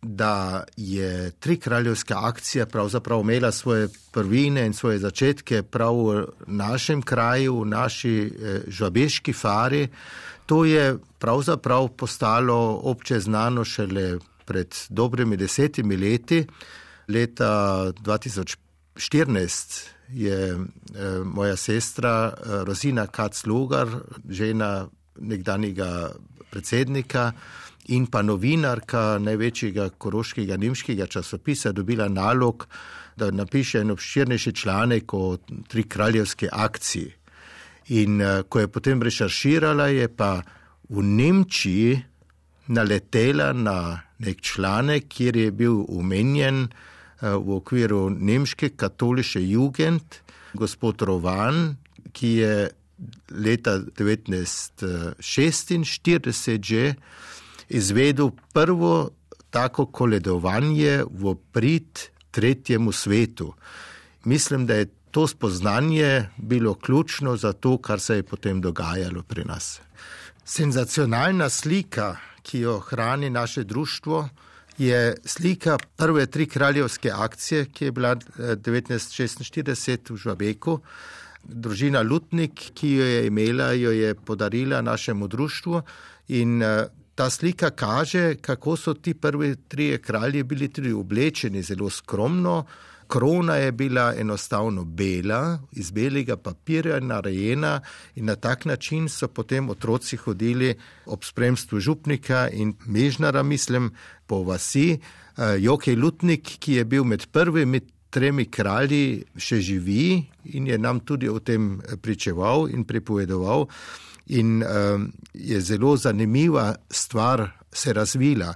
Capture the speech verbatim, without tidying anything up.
da je trikraljevska akcija pravzaprav imela svoje prvine in svoje začetke prav v našem kraju, v naši žabeški fari. To je pravzaprav postalo obče znano šele pred dobrimi desetimi leti. Leta dva tisoč štirinajst je moja sestra Rozina Kac-Logar, žena nekdanjega predsednika in pa novinarka največjega koroškega nemškega časopisa, dobila nalog, da napiše en obširnejši članek o trikraljevski akciji. In ko je potem rešerširala, je pa v Nemčiji naletela na nek članek, kjer je bil omenjen v okviru nemške katoliške jugend gospod Rovan, ki je leta devetnajststo šestinštirideset že izvedel prvo tako koledovanje v prid tretjemu svetu. Mislim, da je to spoznanje bilo ključno za to, kar se je potem dogajalo pri nas. Senzacionalna slika, ki jo hrani naše društvo, je slika prve trikraljevske akcije, ki je bila devetnajststo šestinštirideset v Žabeku. Družina Lutnik, ki jo je imela, jo je podarila našemu društvu in ta slika kaže, kako so ti prvi trije kralji bili tudi oblečeni zelo skromno. Krona je bila enostavno bela, iz belega papirja narejena in na tak način so potem otroci hodili ob spremstvu župnika in mežnara, mislim, po vasi. Jokej Lutnik, ki je bil med prvimi tremi kralji, še živi in je nam tudi o tem pričeval in pripovedoval. In uh, je zelo zanimiva stvar se razvila.